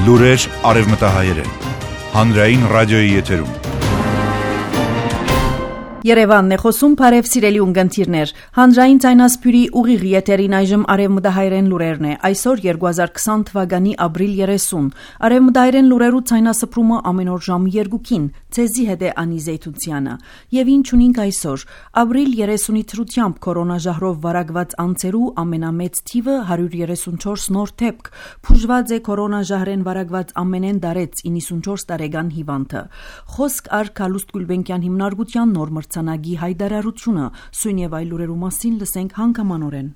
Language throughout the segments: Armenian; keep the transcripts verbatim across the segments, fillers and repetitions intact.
Լուրեր արևմտահայերեն։ Հանրային ռադիոյի եթերում։ Երևանն է խոսում, բարև սիրելի ունկնդիրներ։ Հանրային ցայնասպյուրի ուղիղ եթերին այժմ արևմտահայերեն լուրերն է։ Այսօր երկու հազար քսան թվականի ապրիլ երեսուն։ Արևմտահայերեն լուրերու ցայնասպրումը ամեն օր ժամը երկուքին։ Ցեզի հետ է Անի Զեյթունցյանը։ Եվ ինչ ունենք այսօր։ Ապրիլ երեսունի թրությամբ կորոնաժահրով վարակված անձերու ամենամեծ թիվը հարյուր երեսունչորս նոր դեպք։ Փուժված է կորոնաժահրեն վարակված ամենեն դարեց իննսունչորս տարեկան հիվանդը։ Խոսք առ Քալուստ Գուլբենկյան հիմնարկության նոր մրցանակի հայտարարությունը, սույն եւ այլ լուրերու մասին լսենք հանգամանորեն։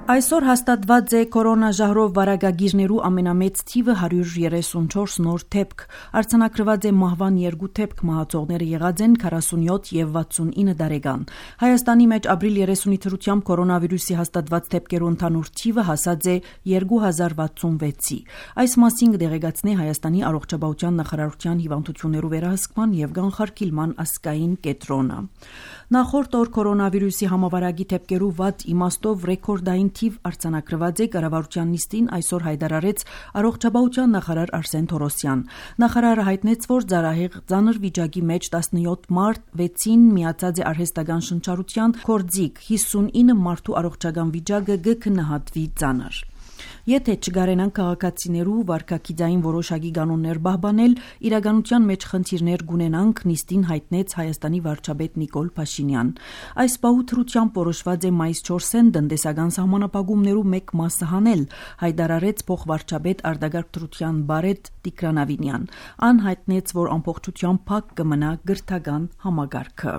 Այսօր հաստատված է կորոնաժահրով վարակագիրներու ամենամեծ թիվը հարյուր երեսունչորս նոր դեպք։ Արձանագրված է մահվան երկու դեպք, մահացողները եղած են քառասունյոթ եւ վաթսունինը տարեկան։ Հայաստանի մեջ ապրիլ երեսունի թրությամբ կորոնավիրուսի հաստատված դեպքերու ընդհանուր թիվը հասած է երկու հազար վաթսունվեցի։ Այս մասին կդեղեկացնի Հայաստանի առողջապահության նախարարության հիվանդություններու վերահսկման եւ կանխարգելման ազգային կենտրոնը։ Նախորդ օր կորոնավիրուսի համավարակի դեպքերու վատ իմաստով ռեկորդային թիվ արձանագրված է կառավարության նիստին այսօր հայտարարեց առողջապահության նախարար Արսեն Թորոսյան։ Նախարարը հայտնեց, որ ծարահեղ ծանր վիճակի մեջ տասնյոթ մարդ, վեցին միացած է արհեստական շնչառության գործիք, հիսունինը մարդու առողջական վիճակը կքննահատվի ծանր։ Եթե չգարենան քաղաքացիներու վարքագիծային որոշակի կանոններ պահպանել, իրականության մեջ խնդիրներ կունենանք, նիստին հայտնեց Հայաստանի վարչապետ Նիկոլ Փաշինյան։ Այս պահութրությամբ որոշված է մայիս չորսին տնտեսական սահմանապահումներու մեկ մասը հանել, հայտարարեց փոխվարչապետ Արտակարգ Դրության բարետ Տիգրան Ավինյան։ Ան հայտնեց, որ ամբողջությամբ փակ կմնա գրթական համագարքը։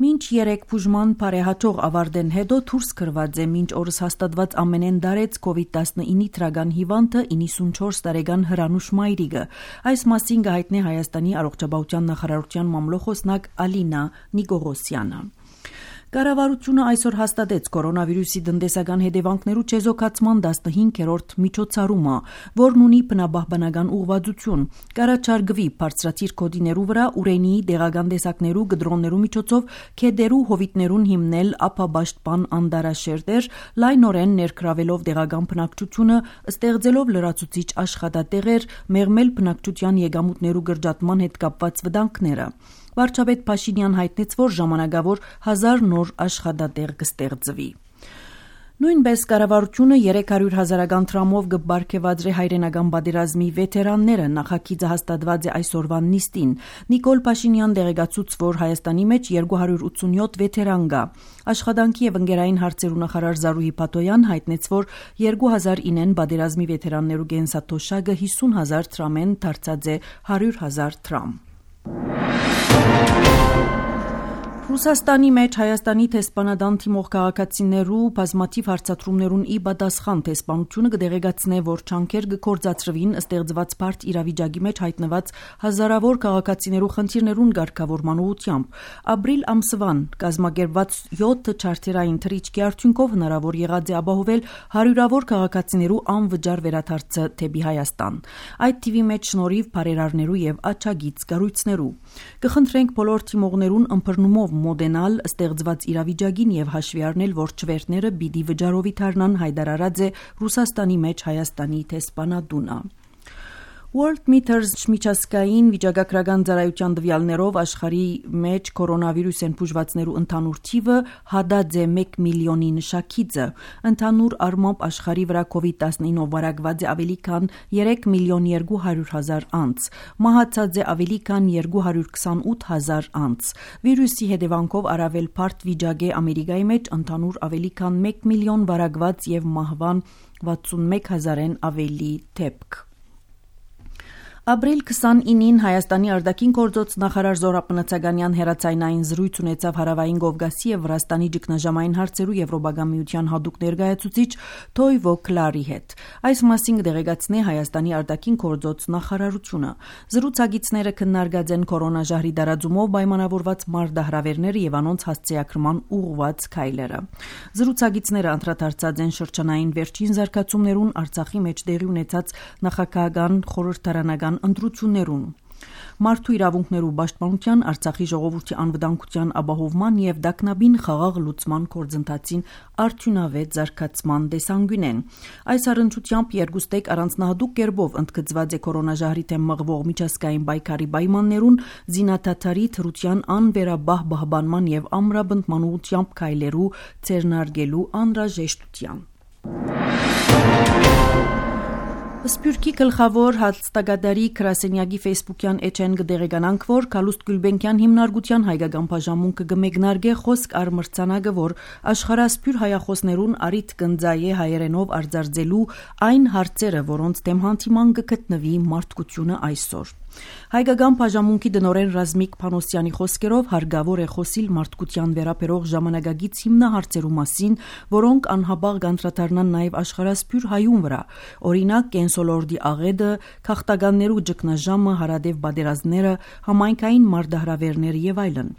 Մինչ երեք բուժման բարեհաջող ավարտեն հետո դուրս գրված է մինչ օրս հաստատված ամենեն դարեց կովիդ տասնինը թրագան հիվանդը իննսունչորս տարեկան Հրանուշ Մայրիգը։ Այս մասին կհայտնի Հայաստանի առողջապահության նախարարության մամլոխոսնակ Ալինա Նիկողոսյանը։ Կառավարությունը այսօր հաստատեց կորոնավիրուսի տնտեսական հետևանքներու չեզոքացման տասնհինգերորդ միջոցառումը, որն ունի բնապահպանական ուղղվածություն։ Կառաջարկվի բարձրաթիր կոդիներու վրա ուրենիի դեղական տեսակներու գդրոններու միջոցով քեդերու հովիտներուն հիմնել ափաբաշտպան անտարաշերտեր, լայնորեն ներգրավելով դեղական բնակչությունը, ստեղծելով լրացուցիչ աշխատատեղեր, մեղմել բնակչության եկամուտներու գրջատման հետ կապված վտանգները։ Վարչապետ Փաշինյան հայտնեց, որ ժամանակավոր հազար նոր աշխատատեղ կստեղծվի։ Նույնպես կառավարությունը երեք հարյուր հազարական դրամով կբարգեւադրի հայրենական պատերազմի վետերանները նախագիծը հաստատված է այսօրվան նիստին։ Նիկոլ Փաշինյան դեղեկացուց, որ Հայաստանի մեջ երկու հարյուր ութսունյոթ վետերան կա։ Աշխատանքի եւ ընկերային հարցերու նախարար Զարուհի Փաթոյան հայտնեց, որ երկու հազար ինեն պատերազմի վետերաններու գենսաթոշակը հիսուն հազար դրամեն դարձած է հարյուր հազար դրամ։ Ռուսաստանի մեջ Հայաստանի տեսփանադան թիմող քաղաքացիներու բազմաթիվ հարցադրումներուն ի պատասխան տեսփանությունը կդեղեկացնե, որ չանքեր կգործածրվին ստեղծված բարդ իրավիճակի մեջ հայտնված հազարավոր քաղաքացիներու խնդիրներուն ղեկավարման ուղղությամբ։ Ապրիլ ամսվան կազմակերպված յոթ չարտերային թռիչքի արդյունքով հնարավոր եղած է ապահովել հարյուրավոր քաղաքացիներու անվճար վերադարձը դեպի Հայաստան։ Այդ թիվի մեջ շնորհիվ բարերարներու եւ աչագից կառույցներու։ Կխնդրենք բոլոր թիմողներուն ըմբռնումով մոդենալ ստեղծված իրավիճակին եւ հաշվի առնել, որ չվերթները պիտի վճարովի դառնան, հայտարարած է Ռուսաստանի մեջ Հայաստանի տեսփանադունը։ World Meters միջազգային վիճակագրական ծառայության տվյալներով աշխարհի մեջ կորոնավիրուսեն բուժվածներու ընդհանուր թիվը հադած է մեկ միլիոնի նշակիցը։ Ընդհանուր առմամբ աշխարհի վրա կովիդ տասնինով վարակված է ավելի քան երեք միլիոն երկու հարյուր հազար անձ։ Մահացած է ավելի քան երկու հարյուր քսանութ հազար անձ։ Վիրուսի հետևանքով առավել բարդ վիճակ է Ամերիկայի մեջ ընդհանուր ավելի քան մեկ միլիոն վարակված եւ մահվան վաթսունմեկ հազարեն ավելի դեպք։ Ապրիլ քսանինին Հայաստանի արտաքին գործոց նախարար Զորաբ Մնացականյան հեռացայնային զրույց ունեցավ Հարավային Կովկասի եւ Վրաստանի ճգնաժամային հարցերու Եվրոպական միության հատուկ ներկայացուցիչ Թոյվո Քլարի հետ։ Այս մասին կդեղեկացնի Հայաստանի արտաքին գործոց նախարարությունը։ Զրուցակիցները քննարկած են կորոնաժահրի տարածումով պայմանավորված մարտահրավերները եւ անոնց հասցեակրման ուղղված քայլերը։ Զրուցակիցները անդրադարձած են շրջանային վերջին զարգացումներուն Արցախի մեջ տեղի ունեցած նախագահական խորհրդարանական ընտրություններուն։ մարդու իրավունքներու պաշտպանության, Արցախի ժողովրդի անվտանգության ապահովման եւ դակնաբին խաղաղ լուծման գործընթացին արդյունավետ զարգացման տեսանկյուն են։ Այս առընչությամբ երկուստեք առանձնահատուկ կերպով ընդգծված է կորոնաժահրի դեմ մղվող միջազգային պայքարի պայմաններուն զինադադարի թրության անվերաբահ պահպանման եւ ամրապնդման ուղղությամբ քայլերու ձեռնարկելու անհրաժեշտության։ Սփյուռքի գլխավոր հաստատագետի Կրասենյակի ֆեյսբուքյան էջեն կդեղեկանանք, որ Կալուստ Գյուլբենկյան հիմնարկության հայկական բաժանմունքը կմեկնարկե խոսք առ մրցանակը, որ աշխարհասփյուռ հայախոսներուն արիթ կնձայե հայերենով արձարծելու այն հարցերը, որոնց դեմ հանդիման կգտնվի մարդկությունը այսօր։ Հայկական բաժանմունքի դնորեն Ռազմիկ Փանոսյանի խոսքերով հարգավոր է խոսիլ մարդկության վերաբերող ժամանակագից հիմնահարցերու մասին, որոնք անհաբաղ կանդրադառնան նաև աշխարհասփյուռ հայուն վրա, օրինակ կենսոլորդի աղետը, քաղաքտականներու ճգնաժամը, հարադեպ պատերազմները, համայնքային մարտահրավերները եւ այլն։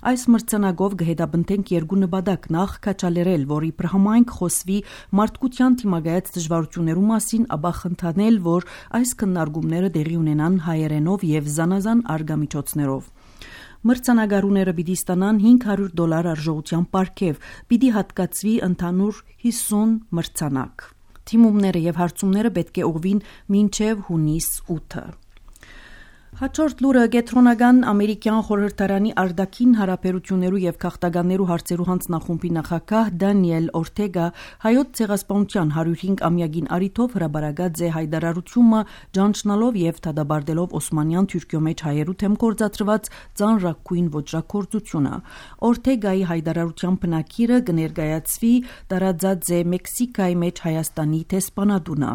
Այս մրցանակով կհետապնդենք երկու նպատակ՝ նախ քաչալերել, որ իբր համայնք խոսվի մարդկության դիմակայած դժվարություններու մասին, ապա խնդանել, որ այս քննարկումները տեղի ունենան հայերենով եւ զանազան արգամիջոցներով։ Մրցանակարուները պիտի ստանան հինգ հարյուր դոլար արժողության պարգև, պիտի հատկացվի ընդհանուր հիսուն մրցանակ։ Թիմումները եւ հարցումները պետք է ուղղվին մինչեւ հունիս ութը։ Հաջորդ լուրը Գետրոնական ամերիկյան խորհրդարանի արտաքին հարաբերություններու եւ քաղաքտականներու հարցերու հանձնախումբի նախագահ Դանիել Օրտեգա հայոց ցեղասպանության հարյուր հինգ ամյակին արիթով հրաբարակած է հայտարարությունը ճանչնալով եւ դադարելով Օսմանյան Թուրքիո մեջ հայերու թեմ գործադրված ծանրակույն ոճրագործությունը։ Օրտեգայի հայտարարության բնակիրը կներկայացվի տարածած է Մեքսիկայի մեջ Հայաստանի տեսփանատունը։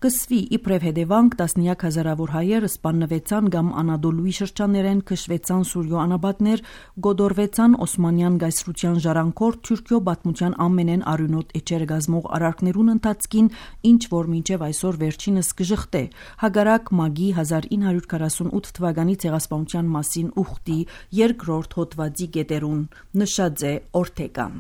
Կսվի իբրև հետևանք տասնյակ հազարավոր հայեր սպանվեցան կամ Անադոլուի շրջաններեն քշվեցան Սուրյո անաբատներ, գոդորվեցան Օսմանյան գայսրության ժառանգոր Թուրքիո պատմության ամենեն արյունոտ էջեր գազմող արարքներուն ընթացքին, ինչ որ մինչև այսօր վերջինս կժխտե, հագարակ մագի հազար ինը հարյուր քառասունութ թվականի ցեղասպանության մասին ուխտի երկրորդ հոդվածի գետերուն, նշած է Օրտեգան։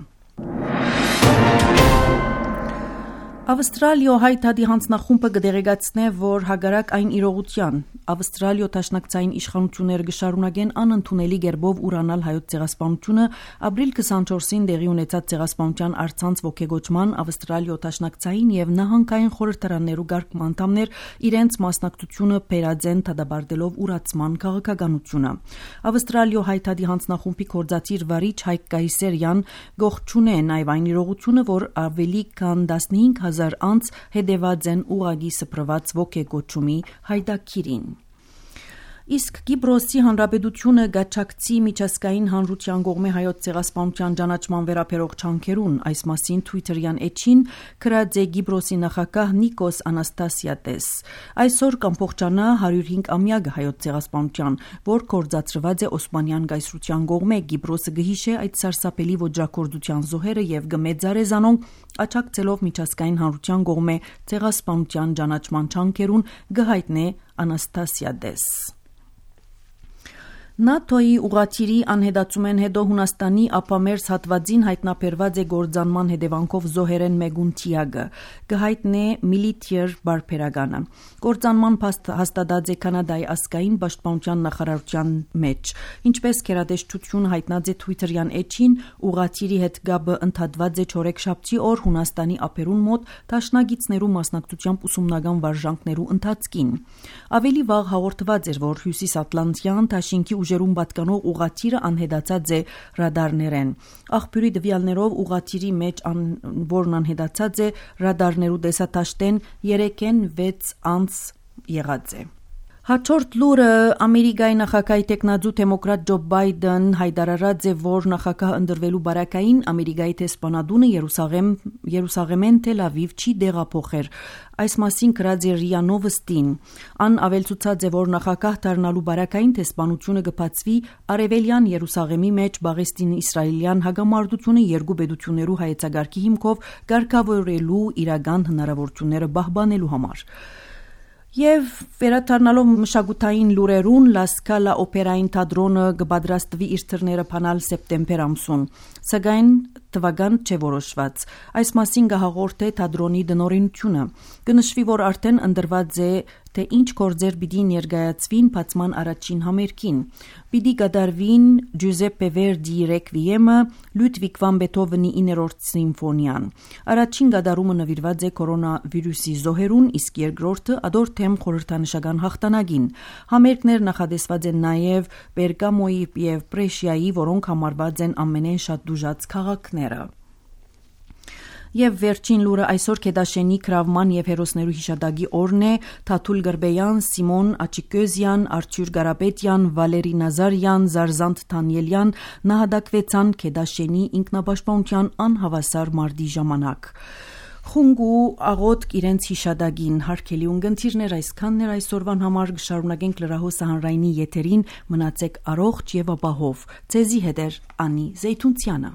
Ավստրալիո հայտարարի հանձնախումբը կդեղեկացնե, որ հագարակ այն իրողության Ավստրալիո դաշնակցային իշխանությունները կշարունակեն անընդունելի կերպով ուրանալ հայոց ցեղասպանությունը, ապրիլ քսանչորսին տեղի ունեցած ցեղասպանության առցանց ողջագոճման Ավստրալիո դաշնակցային եւ նահանգային խորհրդարաններու գարկման անդամներ իրենց մասնակցությունը բերածեն դադարելով ուրացման քաղաքականությունը։ Ավստրալիո հայտարարի հանձնախումբի կորզացիր վարիչ Հայկ Կայսերյան գողջունե նաև այն իրողությունը, որ ավելի քան տասնհինգ հազար անց հետևած են ուղագի սփռված ոգեգոճումի հայտակիրին։ Իսկ Կիպրոսի հանրապետությունը գաչակցի միջազգային հանրության կողմէ հայոց ցեղասպանության ճանաչման վերաբերող չանքերուն, այս մասին Twitter-յան էջին գրած է Կիպրոսի նախագահ Նիկոս Անաստասիադես։ Այսօր կամփոխանա հարյուր հինգ ամյակը հայոց ցեղասպանության, որ կորզածրված է Օսմանյան գայսրության կողմէ, Կիպրոսը գհիշե այդ սարսափելի ոճրագործության զոհերը եւ գմեծարե զանոնք աչակցելով միջազգային հանրության կողմէ ցեղասպանության ճանաչման չանքերուն գհայտնե Անաստասիադես։ ՆԱՏՕ-ի ուղղաթիռի անհետացումեն հետո Հունաստանի ափամերձ հատվածին հայտնաբերված է գործանման հետևանքով զոհերեն մեկուն թիագը, կհայտնե Միլիտիեր բարբերականը։ Գործանման հաստատած է Կանադայի ազգային պաշտպանության նախարարության մեջ։ Ինչպես գերատեսչությունը հայտնած է Twitter-յան էջին, ուղղաթիռի հետ գաբը ընդհատված է չորեքշաբթի օր Հունաստանի ափերուն մոտ դաշնակիցներու մասնակցությամբ ուսումնական վարժանքներու ընթացքին։ Ավելի վաղ հաղորդված էր, որ Հյուսիսատլանտյան Թաշինքի ուժերուն պատկանող ուղղաթիռը անհետացած է ռադարներեն։ Աղբյուրի դվյալներով ուղղաթիռի մեջ ան, որն անհետացած է ռադարներու տեսատաշտեն երեքեն վեց անց եղած է։ Հաջորդ լուրը Ամերիկայի նախագահի տեխնազու դեմոկրատ Ջո Բայդեն հայտարարած է, որ նախագահ ընդրվելու բարակային Ամերիկայի տեսփանադունը Երուսաղեմ Երուսաղեմեն Թել Ավիվ չի դեղափոխեր։ Այս մասին գրած է Ռիա Նովոստին։ Ան ավելցուցած է, որ նախագահ դառնալու բարակային տեսփանությունը կբացվի Արևելյան Երուսաղեմի մեջ Պաղեստին-իսրայելյան հագամարտությունը երկու պետություններու հայեցակարգի հիմքով կարգավորելու իրական հնարավորությունները պահպանելու համար։ Եվ վերադառնալով մշակութային լուրերուն, Լա Սկալա օպերային թատրոնը կպատրաստվի իր թռները փանալ սեպտեմբեր ամսուն, սակայն թվական չէ որոշված։ Այս մասին կհաղորդե թատրոնի դնորինությունը։ Կնշվի, որ արդեն ընդրված է թե ինչ գործեր պիտի ներկայացվին բացման առաջին համերգին։ Պիտի կատարվին Ջուզեպպե Վերդիի ռեկվիեմը, Լյուդվիգ վան Բեթհովենի իններորդ սիմֆոնիան։ Առաջին կատարումը նվիրված է կորոնավիրուսի զոհերուն, իսկ երկրորդը ադոր թեմ խորհրդանշական հաղթանակին։ Համերգներ նախադեсված են նաև Բերգամոյի եւ Պրեշիայի, որոնք համարված են ամենեն շատ դուժած քաղաքները։ Եվ վերջին լուրը այսօր Քեդաշենի Քրավման եւ հերոսներու հիշադակի օրն է։ Թաթուլ Գրբեյան, Սիմոն Աչիկոզյան, Արթուր Գարապետյան, Վալերի Նազարյան, Զարզանտ Թանյելյան նահատակվեցան Քեդաշենի ինքնապաշտպանության անհավասար մարտի ժամանակ։ Խունգու աղոտ իրենց հիշադակին հարկելի ունգընթիրներ այսքաններ այսօրվան համար կշարունակենք լրահոսը հանրայինի եթերին մնացեք առողջ եւ ապահով։ Ձեզի հետ է Անի Զեյթունցյանը։